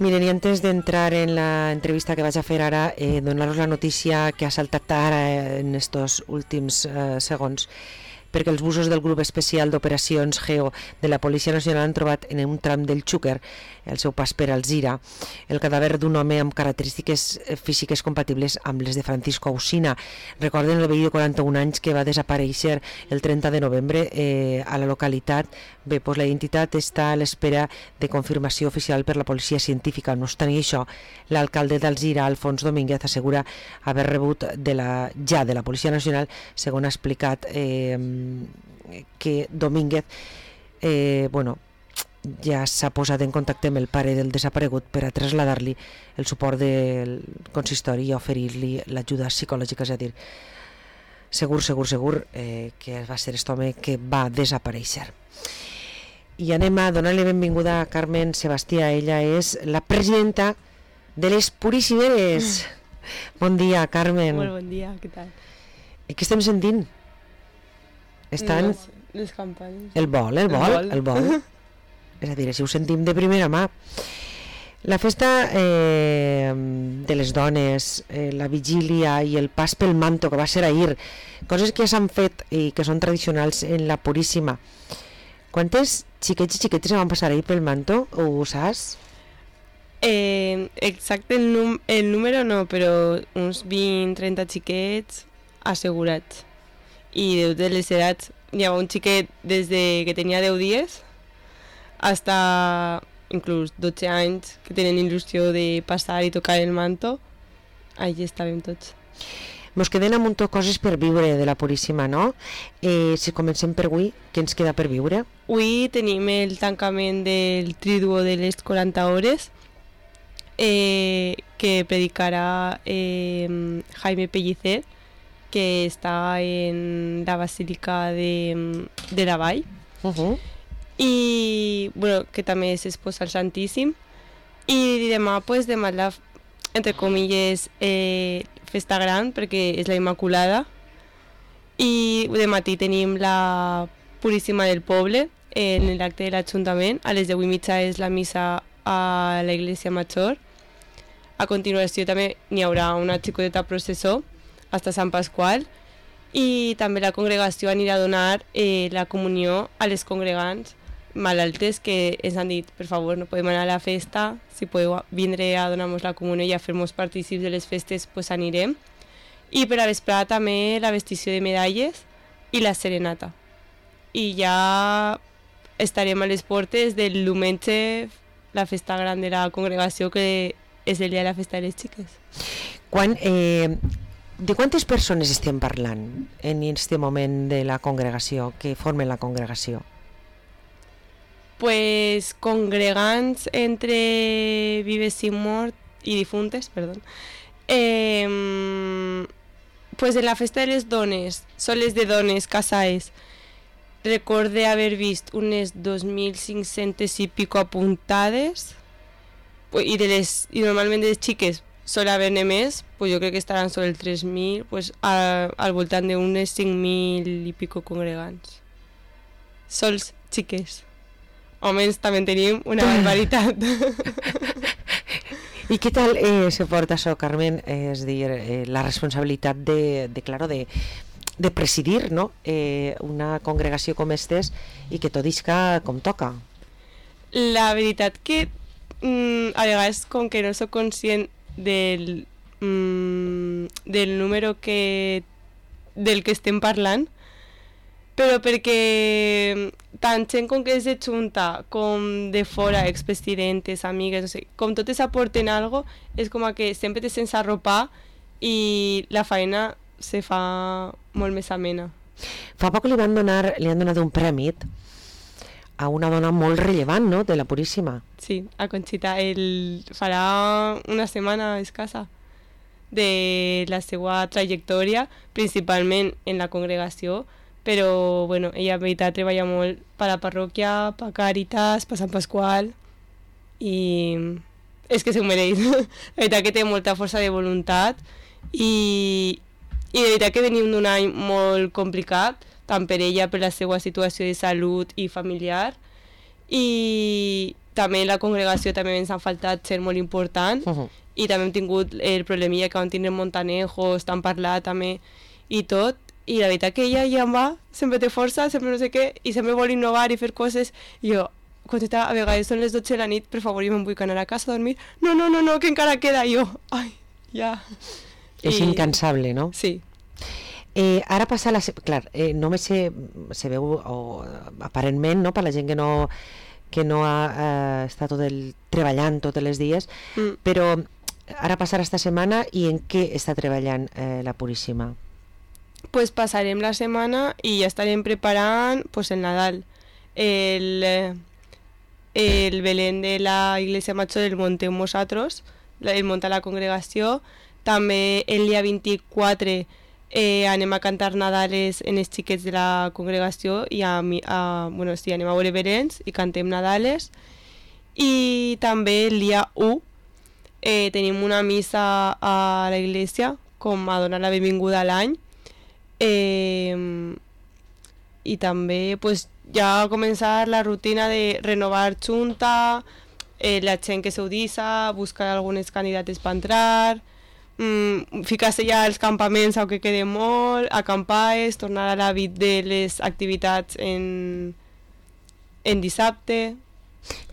Miren, i antes d'entrar en la entrevista que vaig a fer ara, donar-vos la notícia que ha saltat ara en estos últims segons, perquè els busos del grup especial d'operacions GEO de la Policia Nacional han trobat en un tram del Xúquer, el seu pas per Alzira, el cadàver d'un home amb característiques físiques compatibles amb les de Francisco Ausina. Recorden el veí de 41 anys que va desaparèixer el 30 de novembre a la localitat. Bé, doncs la identitat està a l'espera de confirmació oficial per la policia científica. No obstant això, l'alcalde d'Alzira, Alfons Domínguez, assegura haver rebut de la Policia Nacional, segons ha explicat que Domínguez ja s'ha posat en contacte amb el pare del desaparegut per a traslladar-li el suport del consistori i oferir-li l'ajuda psicològica, és a dir, segur que va ser aquest home que va desaparèixer. I anem a donar-li benvinguda a Carmen Sebastià. Ella és la presidenta de les Puríssimes. Bon dia, Carmen. Molt bon dia, què tal? I què estem sentint? Estan... Les campanes. El vol. És a dir, si ho sentim de primera mà. La festa de les dones, la vigília i el pas pel manto, que va ser ahir, coses que ja s'han fet i que són tradicionals en la Puríssima. Quantes xiquets i xiquetes van passar ahir pel manto? Ho saps? Exacte el número no, però uns 20-30 xiquets assegurats. I de les edats, hi ha un xiquet des de que tenia 10 dies hasta inclús 12 anys que tenen il·lusió de passar i tocar el manto. Allí estàvem tots. Mos queden un munt de coses per viure de la Puríssima, no? Si comencem per avui, què ens queda per viure? Avui tenim el tancament del Triduo de les 40 hores que predicarà Jaime Pellicer, que està en la Basílica de la Vall. I bueno, que també s'exposa al Santíssim. I demà, demà la, entre comilles, festa gran, perquè és la Immaculada. I de matí tenim la Puríssima del Poble en l'acte de l'Ajuntament. A les 10:30 és la missa a la Iglesia Major. A continuació també n'hi haurà una xicoteta processó hasta Sant Pasqual, i també la congregació anirà a donar la comunió a les congregants malaltes que ens han dit, per favor, no podem anar a la festa, si podeu vindre a donar-nos la comunió i a fer-nos partícips de les festes, pues anirem. I per a vesprada també la vestició de medalles i la serenata. I ja estarem a les portes del diumenge, la festa gran de la congregació, que és el dia de la festa de les xiques. De quantes persones estem parlant en aquest moment de la congregació, que formen la congregació? Pues congregants entre vives i morts i difuntes, perdó. Pues en la festa de les dones, soles de dones casades, recorde haver vist unes 2.500 i pico apuntades, i normalment de les xiques sol haver-ne més, pues jo crec que estaran sobre el 3.000, pues al voltant d'unes 5.000 i pico congregants. Sols xiques. Homes també tenim una barbaritat. I què tal se porta això, Carmen? És dir, la responsabilitat de presidir, no? Una congregació com estes i que tot isca com toca. La veritat que a vegades, com que no soc conscient del número del que estem parlant, però perquè tant gent com que és de Junta com de fora, expresidentes, amigues, no sé, com totes aporten algo, és com que sempre te sents arropar i la feina se fa molt més amena. Fa poc li han donat un premi a una dona molt rellevant, no?, de la Puríssima. Sí, a Conxita. Farà una setmana escassa de la seva trajectòria, principalment en la congregació, però bueno, ella en veritat treballa molt per la parròquia, per Càritas, per Sant Pasqual, i és que s'ho mereix. La veritat que té molta força de voluntat i de veritat que venim d'un any molt complicat, tant per ella, per la seva situació de salut i familiar, i també la congregació també ens ha faltat ser molt important, i també hem tingut el problemilla que vam tindre Montanejos, t'han parlat també i tot, i la veritat que ella ja en va, sempre té força, sempre no sé què, i sempre vol innovar i fer coses, i jo, quan a vegades són les 12 de la nit, per favor, jo me'n vull anar a casa a dormir, no, que encara queda, i jo, ai, ja. És incansable, no? Sí. Ara passa clar, només se veu aparentment, no, per la gent que no ha estat treballant tots els dies, però ara passarà esta setmana, i en què està treballant la Puríssima? Pues passarem la setmana i ja estarem preparant pues, el Nadal, el Belén de la Iglesia Major el muntem nosaltres, el munta la congregació, també el dia 24 anem a cantar Nadales en els xiquets de la congregació i anem a veure Beléns i cantem Nadales, i també el dia 1 tenim una missa a la iglesia com a donar la benvinguda a l'any, i també pues, ja començar la rutina de renovar junta, la gent que s'audissa, buscar algunes candidates per entrar, ficar-se ja als campaments que quede molt, acampar, tornar a l'hàbit de les activitats en dissabte.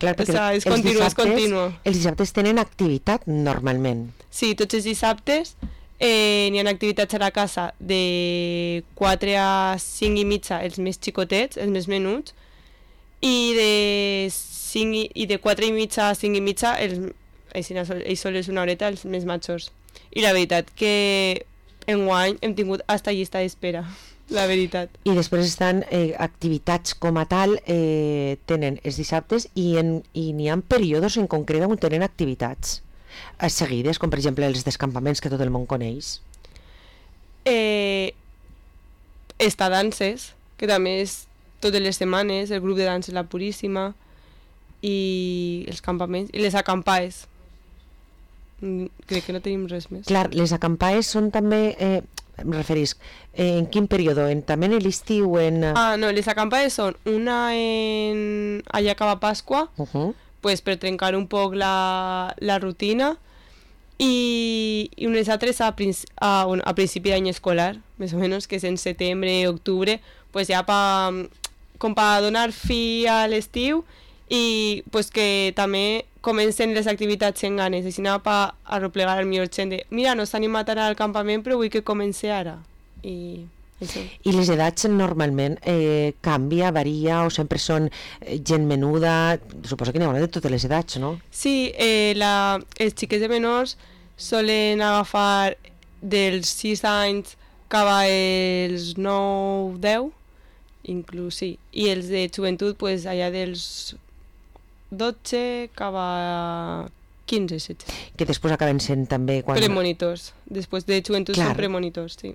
Clar, perquè és continu. Els dissabtes tenen activitat normalment. Sí, tots els dissabtes n'hi ha activitats a la casa de 4 a 5 i mitja els més xicotets, els més menuts, i de 4 i mitja a 5 i mitja ells sols una horeta els més majors. I la veritat que enguany hem tingut hasta llista d'espera, la veritat. I després estan activitats com a tal, tenen els dissabtes, i n'hi ha períodes en concret on tenen activitats seguides, com per exemple els descampaments que tot el món coneix. Està danses, que també és totes les setmanes, el grup de danses La Puríssima, i els campaments, i les acampades. Crec que no tenim res més. Clar, les acampades són també, em referís, en quin període? També en l'estiu? No, les acampades són una allà acaba Pasqua, pues, per trencar un poc la rutina, i unes altres a principi d'any escolar, més o menys, que és en setembre, octubre, pues ja com per donar fi a l'estiu, i pues que també comencen les activitats en ganes, així per arreplegar el millor gent de mira, no s'ha animat ara al campament, però vull que comenci ara. I les edats normalment canvia, varia, o sempre són gent menuda? Suposo que n'hi ha de totes les edats, no? Sí, els xiquets de menors solen agafar dels 6 anys cap als 9-10, inclús, sí. I els de joventut, pues, allà dels 12 cap a 15-16. Que després acaben sent també... Premonitors. Després de joventut són premonitors, sí.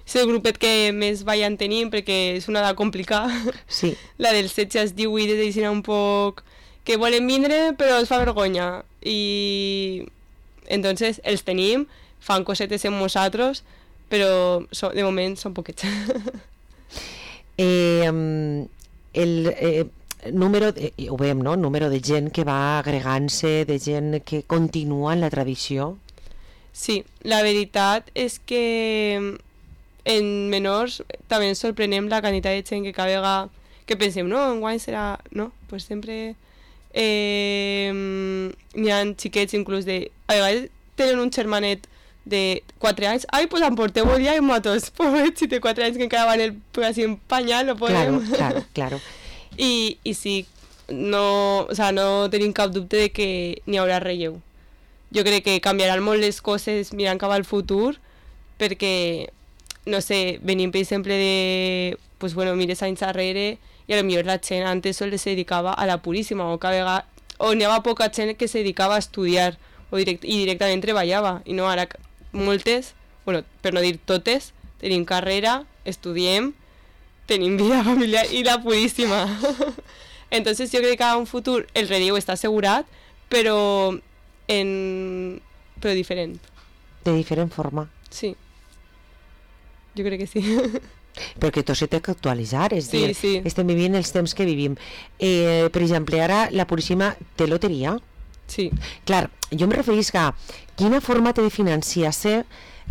És el grupet que més ballant tenim, perquè és una edat complicada. Sí. La dels 16 als 18 és un poc... que volen vindre, però els fa vergonya. I... entonces els tenim, fan cosetes amb nosaltres, però de moment són poquets. Número, ho veiem, no? Número de gent que va agregant-se, de gent que continua en la tradició. Sí, la veritat és que en menors també ens sorprenem la quantitat de gent que cada vegada que pensem, no, enguany serà... No, pues sempre n'hi ha xiquets inclús de... A vegades tenen un germanet de 4 anys, ai, pues emporteu el dia en motos, pobret, si té 4 anys que encara van así en pañal, no podem. Claro. I sí, no tenim cap dubte de que n'hi haurà relleu. Jo crec que canviaran molt les coses mirant cap al futur, perquè, no sé, venim per exemple de, pues bueno, mires anys darrere, i a lo millor la gent antes se dedicava a la Puríssima, o n'hi havia poca gent que se dedicava a estudiar, i directament treballava, i no, ara moltes, bueno, per no dir totes, tenim carrera, estudiem, tenim vida familiar i la Puríssima. Entonces jo crec que a un futur el relleu està assegurat, però diferent. De diferent forma. Sí. Jo crec que sí. perquè tot s'ha d'actualitzar, és Sí, dir, sí. estem vivint els temps que vivim. Per exemple, ara la Puríssima té loteria. Sí. Clar, jo em referís a quina forma té de financiar-se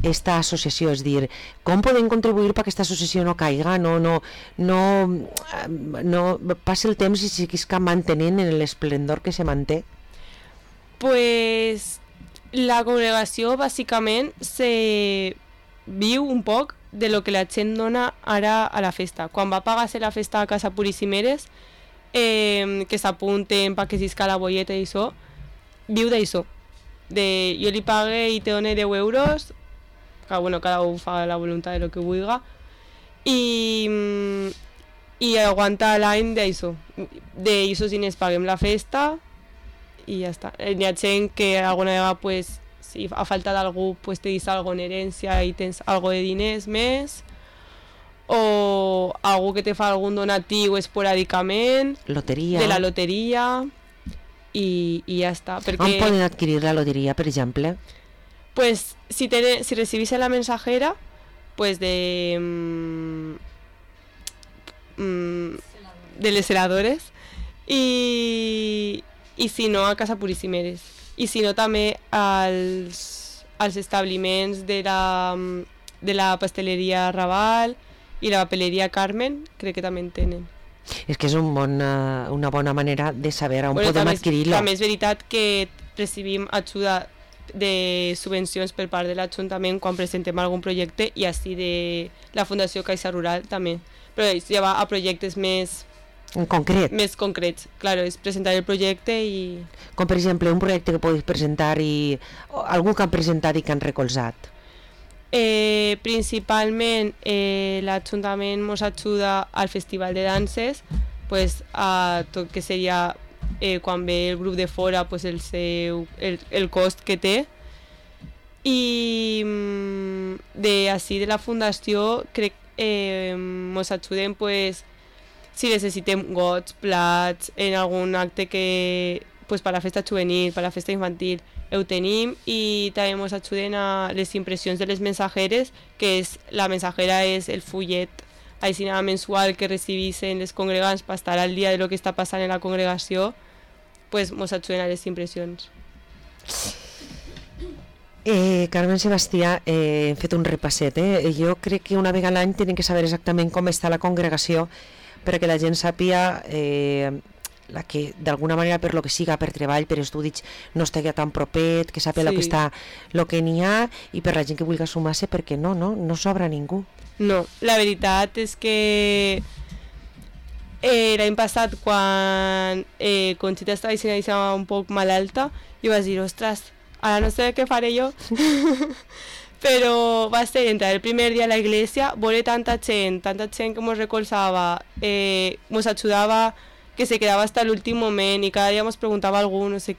esta associació, és dir, com podem contribuir perquè aquesta associació no caiga, no passi el temps i seguisca mantenint en l'esplendor que se manté? Pues la congregació bàsicament se viu un poc de lo que la gent dona ara a la festa. Quan va pagar-se la festa a Casa Puríssimeres, que s'apunten perquè s'isca la bolleta i això, viu d'això. Jo li pague i te done 10 euros, que bueno, cada un fa la voluntat de lo que vulga, i aguanta l'any d'això. D'això si ens paguem la festa i ja està. Hi ha gent que alguna vegada, pues, si ha faltat algú, pues, te deixa alguna herència i tens algo de diners més, o algú que te fa algun donatiu esporàdicament, Loteria. de la loteria, i ja està. Perquè, On poden adquirir la loteria, per exemple? pues, si recibís la mensajera, pues de les heladores, i si no, a Casa Puríssimeres. I si no, també als establiments de la pasteleria Raval i la papeleria Carmen, crec que també en tenen. És que és una bona manera de saber on Bueno, podem també adquirir-lo. També és veritat que recibim ajuda de subvencions per part de l'Ajuntament quan presentem algun projecte, i així de la Fundació Caixa Rural també. Però ja va a projectes més En concret, concrets. Claro, és presentar el projecte i... com per exemple un projecte que podeu presentar i algú que han presentat i que han recolzat. Principalment l'Ajuntament ens ajuda al Festival de Danses, pues, a tot que seria quan ve el grup de fora, pues, el cost que té. I així de la fundació crec ens ajudem, pues, si necessitem gots, plats, en algun acte que, pues, per la festa juvenil, per la festa infantil, ho tenim, i també ens ajuden a les impressions de les mensajeres, que la mensajera és el fullet així mensual que recibeixen les congregants per estar al dia de lo que està passant en la congregació, pues ens ajuden a les impressions. Carmen Sebastià, hem fet un repasset. Jo crec que una vegada a l'any tenen que saber exactament com està la congregació perquè la gent sàpiga la que d'alguna manera, per lo que siga, per treball, per estudis, no estigui tan propet, que sàpiga Sí. el que n'hi ha, i per la gent que vulgui sumar-se, perquè no sobra ningú. No, la veritat és que l'any passat, quan Conxita estava dient un poc malalta, jo vaig dir, ostres, ara no sé què faré jo. Però va ser entrar el primer dia a la iglesia, veure tanta gent que ens recolzava, ens ajudava, que se quedava hasta l'últim moment, i cada dia ens preguntava algú, no sé,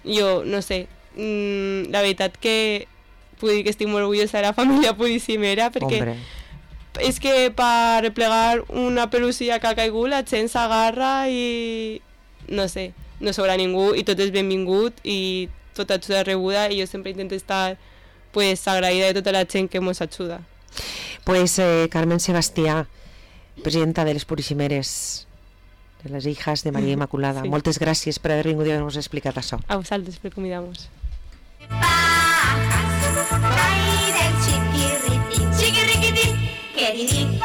jo, no sé, la veritat que puc dir que estic molt orgullosa de la família Puríssimera, perquè Hombre. és que per replegar una pelucia que ha caigut la gent s'agarra i no sé, no sobra ningú i tot és benvingut i tota ajuda rebuda, i jo sempre intento estar, pues, agraïda de tota la gent que ens ajuda. Pues Carmen Sebastià, presidenta de les Puríssimeres, de les hijas de Maria Immaculada, Sí. moltes gràcies per haver vingut i haver-nos explicat això. A vosaltres per convidar-nos. Pájaros, ay del chiquirritín, chiquirriquitín, queridín,